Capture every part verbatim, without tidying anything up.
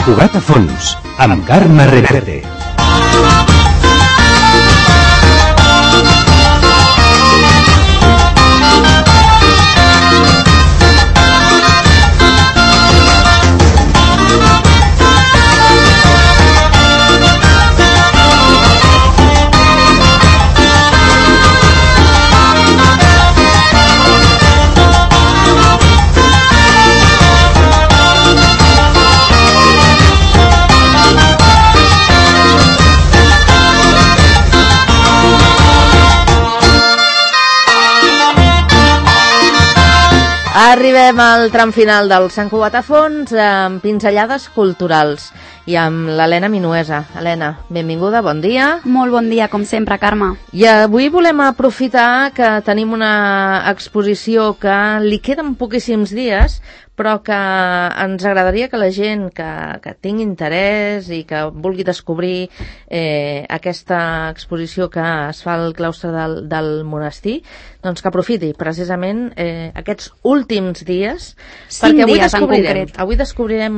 Cugat a fons, amb Carme Reverte. Arribem al tram final del Sant Cugat a fons amb pinzellades culturals i amb l'Helena Minuesa. Helena, benvinguda, bon dia. Molt bon dia, com sempre, Carme. I avui volem aprofitar que tenim una exposició que li queden poquíssims dies, però que ens agradaria que la gent que, que tingui interès i que vulgui descobrir eh, aquesta exposició que es fa al claustre del, del monestir, doncs que aprofiti precisament eh, aquests últims dies, perquè avui descobrirem, avui descobrirem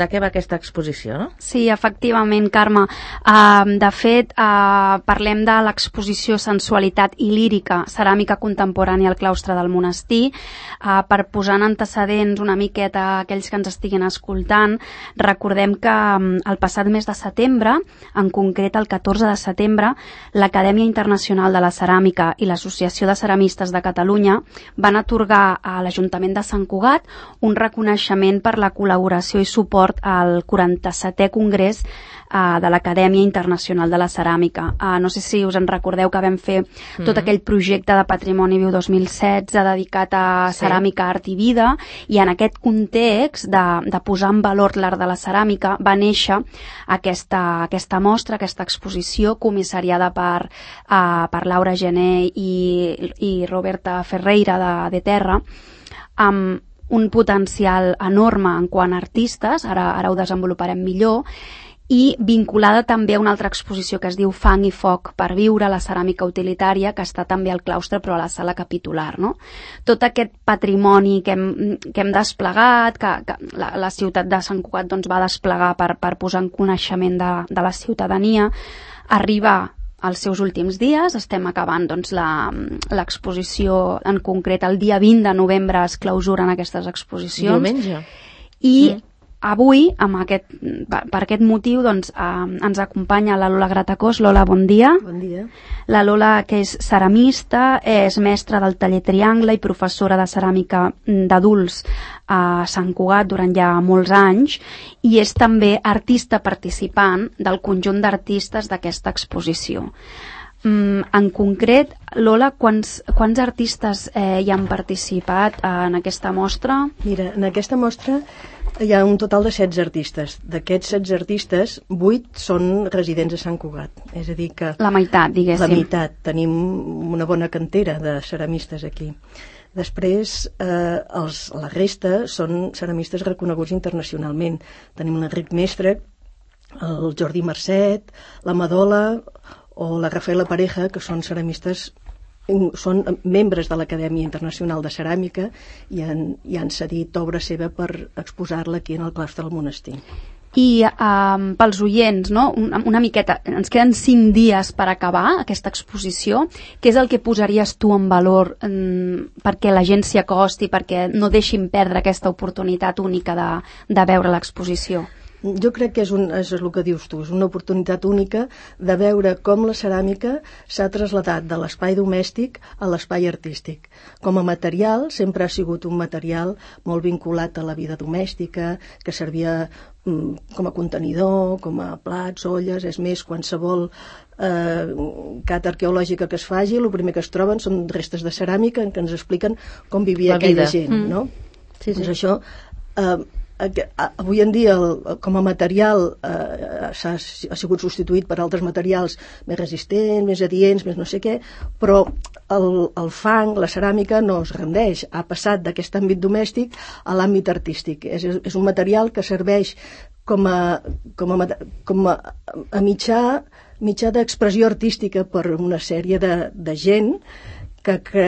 de què va aquesta exposició, no? Sí, efectivament, Carme. Uh, de fet, uh, parlem de l'exposició Sensualitat i lírica, ceràmica contemporània al claustre del monestir. Uh, per posar en antecedents una miqueta a aquells que ens estiguin escoltant, recordem que um, el passat mes de setembre, en concret el catorze de setembre, l'Acadèmia Internacional de la Ceràmica i l'Associació de Ceramistes de Catalunya van atorgar a l'Ajuntament de Sant Cugat un reconeixement per la col·laboració i suport al quaranta-setè Congrés uh, de l'Acadèmia Internacional de la Ceràmica. Uh, no sé si us en recordeu que vam fer mm-hmm. tot aquell projecte de Patrimoni Viu dos mil setze dedicat a sí. ceràmica, art i vida, i en aquest context de, de posar en valor l'art de la ceràmica va néixer aquesta, aquesta mostra, aquesta exposició comissariada per, uh, per Laura Gené i, i Roberta Ferreira de, de Terra, amb un potencial enorme en quant a artistes, ara, ara ho desenvoluparem millor, i vinculada també a una altra exposició que es diu Fang i foc per viure, la ceràmica utilitària, que està també al claustre però a la sala capitular, no? Tot aquest patrimoni que hem, que hem desplegat, que, que la, la ciutat de Sant Cugat doncs, va desplegar per, per posar en coneixement de, de la ciutadania, arriba als seus últims dies. Estem acabant doncs, l'exposició, en concret el dia vint de novembre es clausuren aquestes exposicions. Diumenge. I mm. avui, amb aquest, per aquest motiu, doncs, eh, ens acompanya la Lola Gratacós. Lola, bon dia. Bon dia. La Lola, que és ceramista, és mestra del taller Triangle i professora de ceràmica d'adults a Sant Cugat durant ja molts anys, i és també artista participant del conjunt d'artistes d'aquesta exposició. Mm, en concret, Lola, quants, quants artistes eh, hi han participat eh, en aquesta mostra? Mira, en aquesta mostra hi ha un total de setze artistes. D'aquests setze artistes, vuit són residents a Sant Cugat. És a dir que... La meitat, diguéssim. La meitat. Tenim una bona cantera de ceramistes aquí. Després, eh, els, la resta són ceramistes reconeguts internacionalment. Tenim l'Enric Mestre, el Jordi Marcet, la Madola o la Rafaela Pareja, que són ceramistes, són membres de l'Acadèmia Internacional de Ceràmica i han, i han cedit obra seva per exposar-la aquí en el claustre del monestir. I um, pels oients, no? una, una miqueta, ens queden cinc dies per acabar aquesta exposició. Què és el que posaries tu en valor um, perquè la gent s'hi acosti, perquè no deixin perdre aquesta oportunitat única de, de veure l'exposició? Jo crec que és, un, és el que dius tu, és una oportunitat única de veure com la ceràmica s'ha trasladat de l'espai domèstic a l'espai artístic. Com a material, sempre ha sigut un material molt vinculat a la vida domèstica, que servia mm, com a contenidor, com a plats, olles. És més, qualsevol eh, cata arqueològica que es faci, el primer que es troben són restes de ceràmica en què ens expliquen com vivia la aquella vida. Gent, mm. no? Sí, sí. Doncs això... Eh, avui en dia el, com a material eh, s'ha, ha sigut substituït per altres materials més resistents, més adients, més no sé què, però el, el fang, la ceràmica no es rendeix, ha passat d'aquest àmbit domèstic a l'àmbit artístic. És, és un material que serveix com a, com a, com a, a mitjà, mitjà d'expressió artística per una sèrie de, de gent que, que,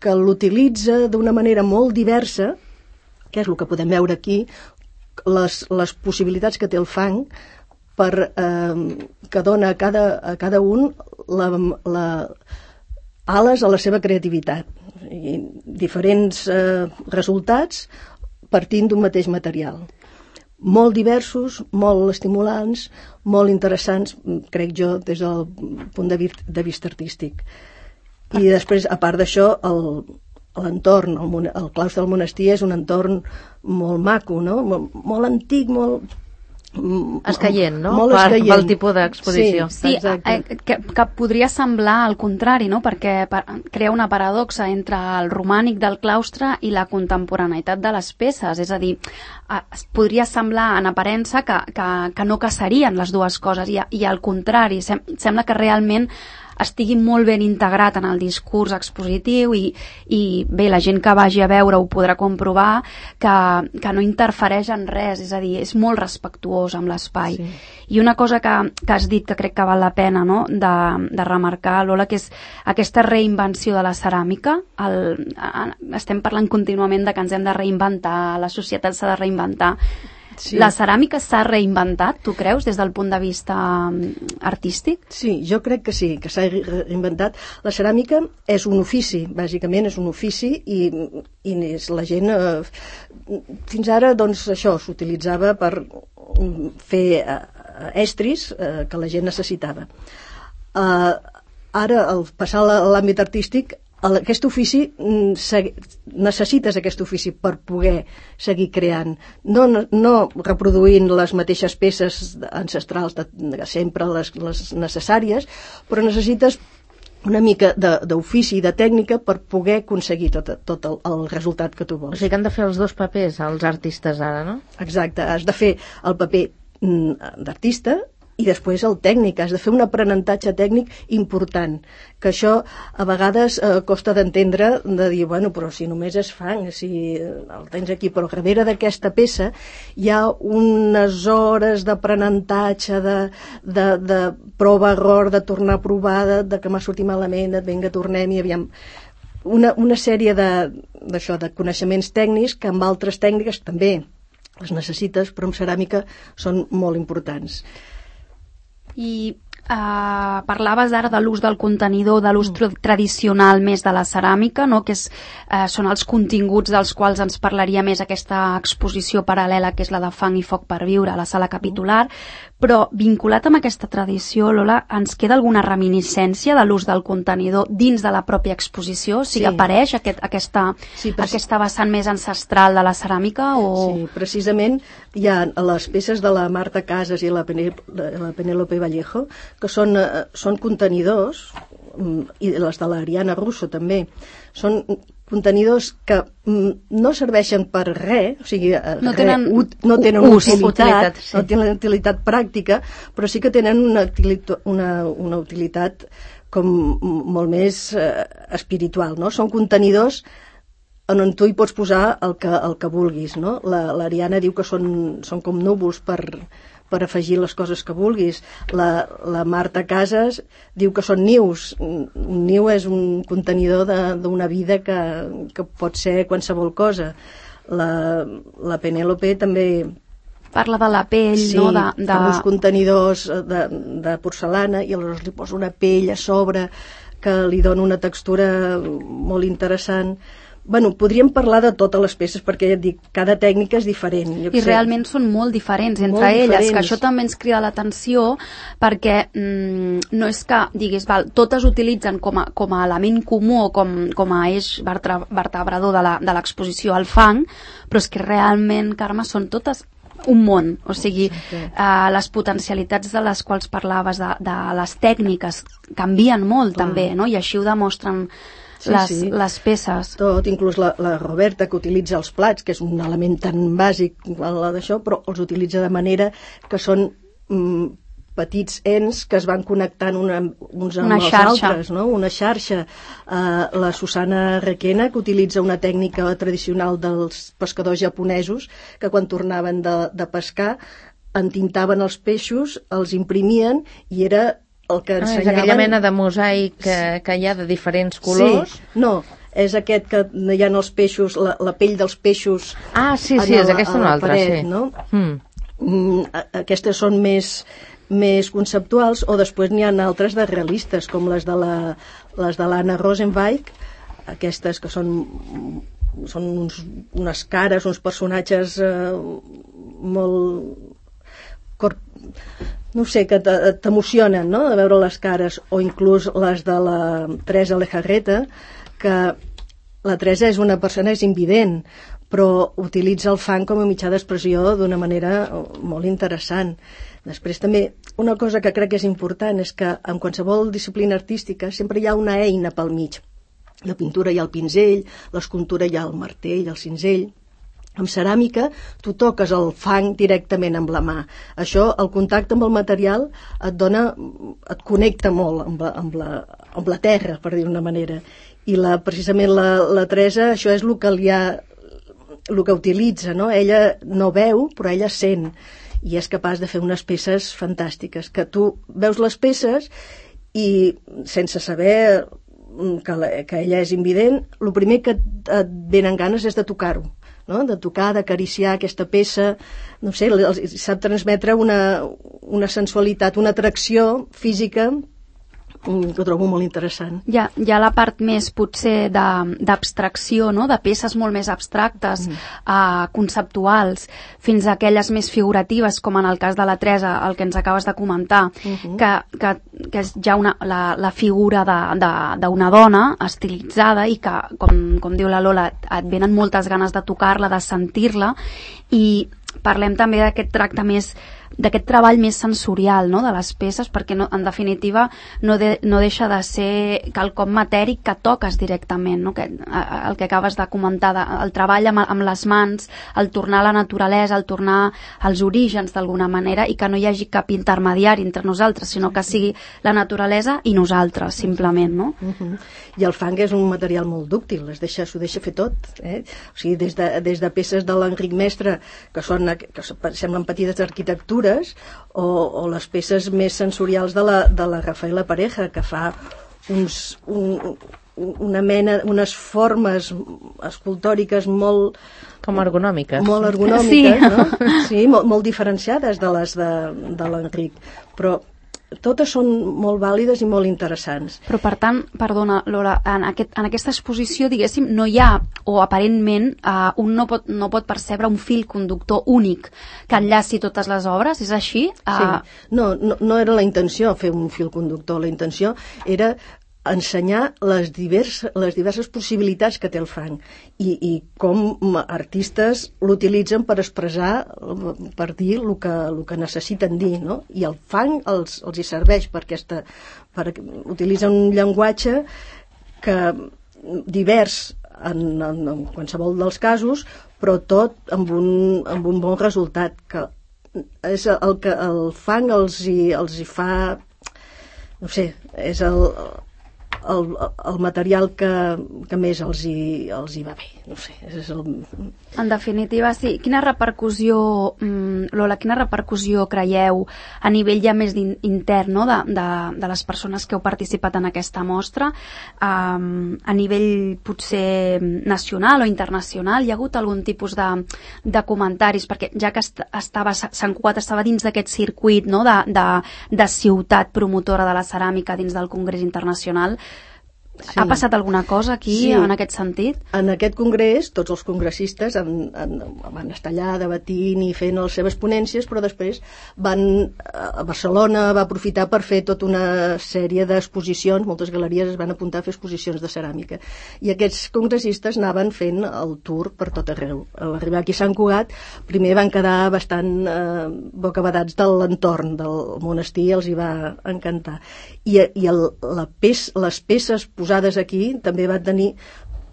que l'utilitza d'una manera molt diversa, que és el que podem veure aquí, les, les possibilitats que té el fang per, eh, que dona a cada, a cada un la, la, ales a la seva creativitat i diferents eh, resultats partint d'un mateix material. Molt diversos, molt estimulants, molt interessants, crec jo, des del punt de vista, de vista artístic. I després, a part d'això, l'entorn, el, el claustre del monestir és un entorn molt maco, no? Molt, molt antic, molt... escaient, no? Molt per, escaient. Pel tipus d'exposició. Sí, sí eh, que, que podria semblar al contrari, no? Perquè per, crea una paradoxa entre el romànic del claustre i la contemporaneïtat de les peces, és a dir, eh, podria semblar en aparença que, que, que no caçarien les dues coses i, i al contrari, sem, sembla que realment estigui molt ben integrat en el discurs expositiu i, i bé, la gent que vagi a veure ho podrà comprovar que, que no interfereix en res, és a dir, és molt respectuós amb l'espai. Sí. I una cosa que, que has dit que crec que val la pena, no?, de, de remarcar, Lola, que és aquesta reinvenció de la ceràmica. El, estem parlant contínuament de que ens hem de reinventar, la societat s'ha de reinventar. Sí. La ceràmica s'ha reinventat, tu creus, des del punt de vista artístic? Sí, jo crec que sí, que s'ha reinventat. La ceràmica és un ofici, bàsicament és un ofici i, i és la gent... Eh, fins ara, doncs, això s'utilitzava per fer eh, estris eh, que la gent necessitava. Eh, ara, al passar a l'àmbit artístic, aquest ofici, necessites aquest ofici per poder seguir creant, no, no, no reproduint les mateixes peces ancestrals de, de sempre, les, les necessàries, però necessites una mica d'ofici i de tècnica per poder aconseguir tot, tot el, el resultat que tu vols. O sigui que han de fer els dos papers, els artistes ara, no? Exacte, has de fer el paper d'artista i després el tècnic, has de fer un aprenentatge tècnic important, que això a vegades eh, costa d'entendre, de dir, bueno, però si només és fang, si el tens aquí, però darrere d'aquesta peça hi ha unes hores d'aprenentatge, de, de, de prova-error, de tornar a provar, de, de que m'ha sortit malament, de vinga, tornem i aviam... Una, una sèrie de, d'això, de coneixements tècnics que amb altres tècniques també les necessites, però amb ceràmica són molt importants. I uh, parlaves ara de l'ús del contenidor, de l'ús mm. tradicional més de la ceràmica, no? Que és, uh, són els continguts dels quals ens parlaria més aquesta exposició paral·lela, que és la de Fang i foc per viure a la sala capitular, però vinculat amb aquesta tradició, Lola, ens queda alguna reminiscència de l'ús del contenidor dins de la pròpia exposició? O sigui, sí. apareix aquest, aquesta, sí, aquesta vessant més ancestral de la ceràmica? O... Sí, precisament hi ha les peces de la Marta Casas i la, la Penélope Vallejo, que són, són contenidors, i les de l'Ariana Russo també, són contenidors que no serveixen per res, o sigui, no tenen, re, ut, no tenen ús, utilitat, utilitat, sí. no tenen utilitat pràctica, però sí que tenen una, una, una utilitat com molt més eh, espiritual, no? Són contenidors on tu hi pots posar el que, el que vulguis, no? L'Ariana diu que són, són com núvols per, per afegir les coses que vulguis. La, la Marta Casas diu que són nius. Un niu és un contenidor d'una vida que, que pot ser qualsevol cosa. La, la Penélope també... Parla de la pell, sí, no? De, de... fa uns contenidors de, de porcelana i aleshores li posa una pell a sobre que li dona una textura molt interessant. Bueno, podríem parlar de totes les peces perquè ja et dic, cada tècnica és diferent. Jo I sé. Realment són molt diferents entre molt elles, diferents. Que això també ens crida l'atenció perquè mm, no és que diguis, val, totes utilitzen com a, com a element comú o com, com a eix vertebrador de l'exposició al fang, però és que realment, Carme, són totes un món, o sigui, eh, les potencialitats de les quals parlaves, de, de les tècniques, canvien molt Clar. També, no? I així ho demostren sí, les, sí. les peces. Tot, inclús la, la Roberta, que utilitza els plats, que és un element tan bàsic d'això, però els utilitza de manera que són mm, petits ens que es van connectant una, uns amb una els xarxa. altres, no? Una xarxa. Uh, la Susana Requena, que utilitza una tècnica tradicional dels pescadors japonesos, que quan tornaven de, de pescar entintaven els peixos, els imprimien i era el que ensenyaven... Ah, és aquella mena de mosaic que, que hi ha de diferents colors. Sí, no, és aquest que hi ha els peixos, la, la pell dels peixos... Ah, sí, sí, és aquesta una altra, sí. No? Mm. Mm, aquestes són més, més conceptuals, o després n'hi ha altres de realistes, com les de la, les de l'Anna Rosenweig, aquestes que són, són uns, unes cares, uns personatges eh, molt... Cor... no sé, que t'emocionen, no?, de veure les cares, o inclús les de la Teresa Lejarreta, que la Teresa és una persona, és invident, però utilitza el fang com a mitjà d'expressió d'una manera molt interessant. Després també, una cosa que crec que és important és que en qualsevol disciplina artística sempre hi ha una eina pel mig. La pintura hi ha el pinzell, l'escultura hi ha el martell, el cinzell. En ceràmica tu toques el fang directament amb la mà. Això, el contacte amb el material et dona, et connecta molt amb la, amb la, amb la terra, per dir d'una manera. I la, precisament la, la Teresa, això és el que li ha, el que utilitza, no? Ella no veu, però ella sent, i és capaç de fer unes peces fantàstiques, que tu veus les peces i sense saber que, la, que ella és invident, el primer que et, et venen ganes és de tocar-ho, no? De tocar, d'acariciar aquesta peça, no sé, sap transmetre una, una sensualitat, una atracció física que trobo molt interessant. Hi ha, hi ha la part més, potser, d'abstracció, no?, de peces molt més abstractes, mm. uh, conceptuals, fins a aquelles més figuratives, com en el cas de la Teresa, el que ens acabes de comentar, mm-hmm. que, que, que és ja una, la, la figura d'una dona estilitzada i que, com, com diu la Lola, et venen moltes ganes de tocar-la, de sentir-la, i parlem també d'aquest tracte més d'aquest treball més sensorial, no?, de les peces, perquè no, en definitiva no, de, no deixa de ser quelcom matèric que toques directament, no?, que, el que acabes de comentar, de, el treball amb, amb les mans, el tornar a la naturalesa, el tornar als orígens d'alguna manera, i que no hi hagi cap intermediari entre nosaltres, sinó que sigui la naturalesa i nosaltres, simplement, no? Uh-huh. I el fang és un material molt dúctil, es deixa, s'ho deixa fer tot, eh? O sigui, des de, des de peces de l'Enric Mestre, que, són, que semblen petites arquitectures, o, o les peces més sensorials de la, de la Rafaela Pareja, que fa uns, un, una mena, unes formes escultòriques molt... Com ergonòmiques. Molt ergonòmiques, sí. No? Sí, molt, molt diferenciades de les de, de l'Enric, però totes són molt vàlides i molt interessants. Però, per tant, perdona, Lola, en, aquest, en aquesta exposició, diguéssim, no hi ha, o aparentment, eh, un no pot, no pot percebre un fil conductor únic que enllaci totes les obres, és així? Eh... Sí, no, no, no era la intenció fer un fil conductor, la intenció era ensenyar les, divers, les diverses possibilitats que té el fang i, i com artistes l'utilitzen per expressar, per dir el que, el que necessiten dir, no? I el fang els, els hi serveix per aquesta, per, utilitzen un llenguatge que divers en, en, en qualsevol dels casos, però tot amb un, amb un bon resultat, que és el que el fang els hi, els hi fa, no sé, és el El, el material que, que més els hi, els hi va bé, no sé, és el... En definitiva, sí. Quina repercussió, Lola, quina repercussió creieu a nivell ja més intern, no?, de, de, de les persones que heu participat en aquesta mostra, um, a nivell potser nacional o internacional? Hi ha hagut algun tipus de, de comentaris? Perquè ja que est estava, Sant Cugat estava dins d'aquest circuit, no?, de, de, de ciutat promotora de la ceràmica dins del Congrés Internacional, sí. Ha passat alguna cosa aquí, sí, en aquest sentit? En aquest congrés, tots els congressistes han, han, van estar allà debatint i fent les seves ponències, però després van a Barcelona, va aprofitar per fer tota una sèrie d'exposicions, moltes galeries es van apuntar a fer exposicions de ceràmica. I aquests congressistes anaven fent el tour per tot arreu. A l'arribar aquí a Sant Cugat, primer van quedar bastant eh, bocabadats de l'entorn del monestir, els hi va encantar. I, i el, la pes, les peces posades aquí també van tenir,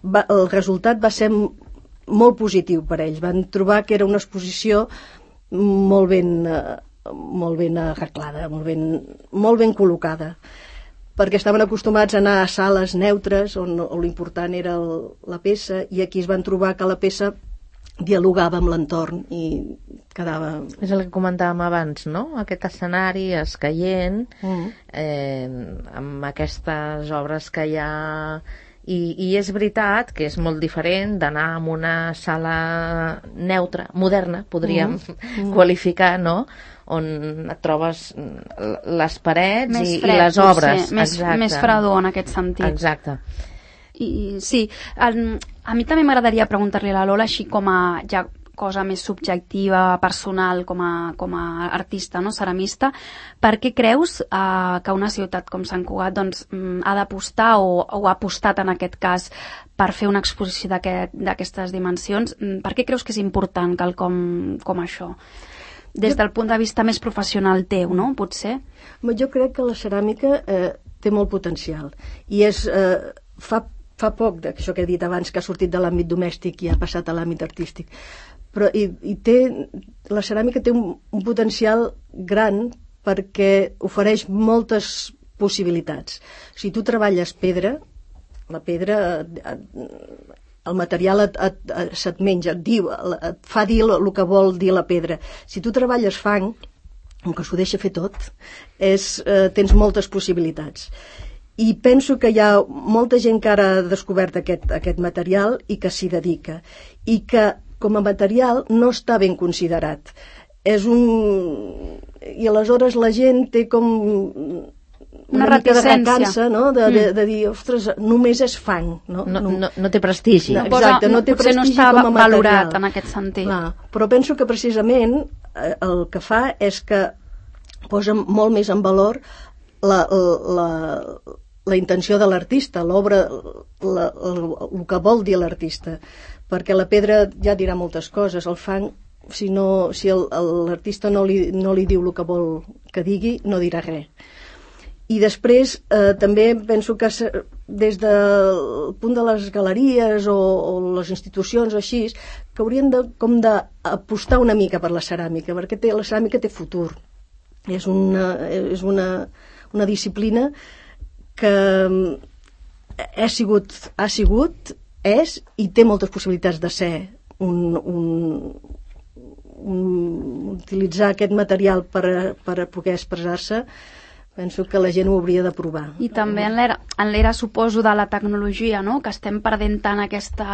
va, el resultat va ser molt positiu per ells, van trobar que era una exposició molt ben, molt ben arreglada, molt ben, molt ben col·locada, perquè estaven acostumats a anar a sales neutres on, on l'important era el, la peça, i aquí es van trobar que la peça dialogava amb l'entorn i quedava... És el que comentàvem abans, no? Aquest escenari escaient, mm. eh, amb aquestes obres que hi ha I, i és veritat que és molt diferent d'anar a una sala neutra, moderna, podríem mm. qualificar, no?, on et trobes les parets més i, fred, i les obres. Potser, més, més fredor en aquest sentit. Exacte. I, sí, a, a mi també m'agradaria preguntar-li a la Lola, així com a ja cosa més subjectiva, personal, com a, com a artista, no? Ceramista, per què creus eh, que una ciutat com Sant Cugat doncs, ha d'apostar o, o ha apostat en aquest cas per fer una exposició d'aquestes dimensions? Per què creus que és important quelcom com això? Des del punt de vista més professional teu, no? Potser? Jo crec que la ceràmica eh, té molt potencial i és, eh, fa, fa poc d'això que he dit abans, que ha sortit de l'àmbit domèstic i ha passat a l'àmbit artístic, però i, i té, la ceràmica té un, un potencial gran perquè ofereix moltes possibilitats. Si tu treballes pedra, la pedra el material et, et, et, se't menja, et, diu, et fa dir el que vol dir la pedra. Si tu treballes fang, que s'ho deixa fer tot, és, eh, tens moltes possibilitats. I penso que hi ha molta gent que ara ha descobert aquest, aquest material i que s'hi dedica. I que com a material no està ben considerat. És un... I aleshores la gent té com... una, una mica de reticència, recança, no? de, de, de dir, ostres, només és fang. No, no, no, no té prestigi. No, exacte, no té potser prestigi no està com a material. valorat en aquest sentit. Clar, però penso que precisament eh, el que fa és que posa molt més en valor la, la, la intenció de l'artista, l'obra, la, el, el que vol dir l'artista, perquè la pedra ja dirà moltes coses, el fang, si, no, si l'artista no, li, no li diu el que vol que digui, no dirà res. I després eh, també penso que des del punt de les galeries o, o les institucions o així, que haurien de, com d'apostar una mica per la ceràmica, perquè té, la ceràmica té futur. És una, és una, una disciplina que ha sigut, ha sigut, és i té moltes possibilitats de ser un, un, un, utilitzar aquest material per, per poder expressar-se. Penso que la gent ho hauria de provar. I també en l'era, en l'era suposo, de la tecnologia, no? Que estem perdent tant aquesta,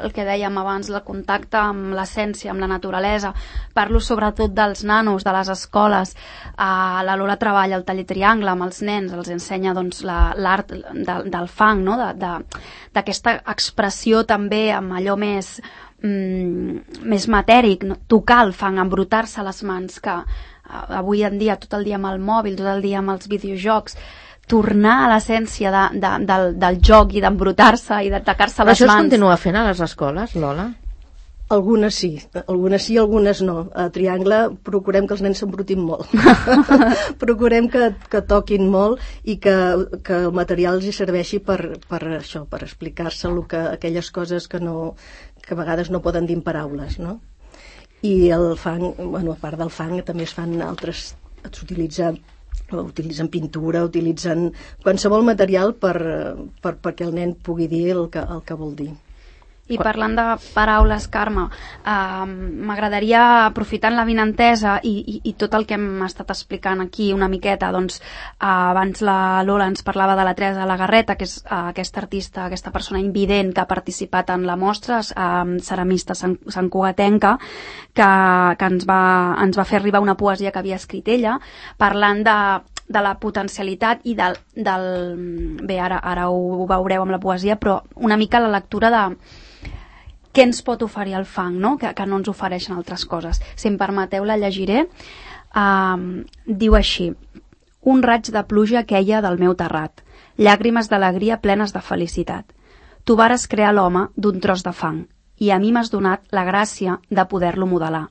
el que dèiem abans, el contacte amb l'essència, amb la naturalesa. Parlo sobretot dels nanos, de les escoles. Uh, la Lola treballa al taller Triangle amb els nens, els ensenya doncs, l'art de, del fang, no? de, de, d'aquesta expressió també amb allò més, mm, més matèric, no? Tocar el fang, embrutar-se les mans, que avui en dia tot el dia amb el mòbil, tot el dia amb els videojocs, tornar a l'essència de, de, del, del joc i d'embrutar-se i d'atacar-se les mans. Això es continua fent a les escoles, Lola? Algunes sí, algunes sí, algunes no. A Triangle procurem que els nens s'embrutin molt. Procurem que, que toquin molt i que, que el material els serveixi per, per això, per explicar-se que, aquelles coses que, no, que a vegades no poden dir en paraules, no? I el fang, bueno, a part del fang també es fan altres, s'utilitza, utilitzen pintura, utilitzen qualsevol material per, per, perquè el nen pugui dir el que, el que vol dir. I parlant de paraules, Carme, eh, m'agradaria, aprofitant l'avinentesa i, i, i tot el que hem estat explicant aquí una miqueta, doncs eh, abans la Lola ens parlava de la Teresa Lagarreta, que és eh, aquesta artista, aquesta persona invident que ha participat en la mostra, eh, ceramista sant, santcugatenca, que, que ens, va, ens va fer arribar una poesia que havia escrit ella, parlant de de la potencialitat i del... del bé, ara, ara ho, ho veureu amb la poesia, però una mica la lectura de què ens pot oferir el fang, no? Que, que no ens ofereixen altres coses. Si em permeteu, la llegiré. Uh, diu així: un raig de pluja queia del meu terrat, llàgrimes d'alegria plenes de felicitat. Tu vares crear l'home d'un tros de fang i a mi m'has donat la gràcia de poder-lo modelar.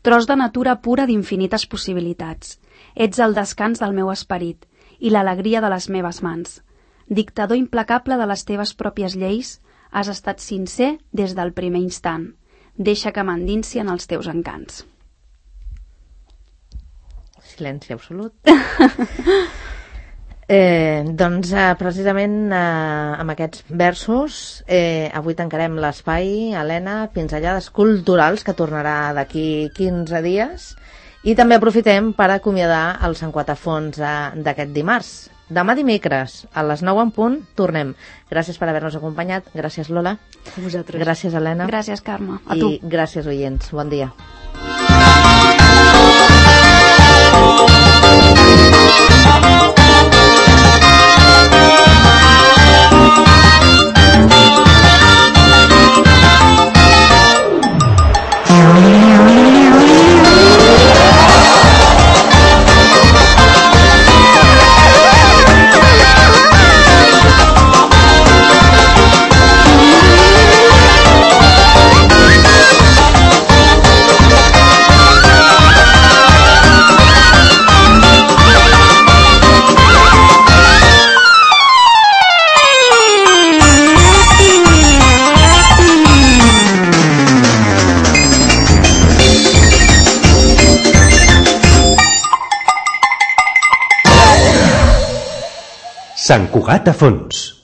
Tros de natura pura d'infinites possibilitats. Ets el descans del meu esperit i l'alegria de les meves mans. Dictador implacable de les teves pròpies lleis, has estat sincer des del primer instant. Deixa que m'endinsi en els teus encants. Silenci absolut. eh, doncs eh, precisament eh, amb aquests versos eh, avui tancarem l'espai, Helena, Pinzellades Culturals, que tornarà d'aquí quinze dies. I també aprofitem per acomiadar el Sant Quatafons d'aquest dimarts. demà dimecres, a les nou en punt, tornem. Gràcies per haver-nos acompanyat. Gràcies, Lola. A vosaltres. Gràcies, Helena. Gràcies, Carme. A tu. I gràcies, oients. Bon dia. Sant Cugat a fons.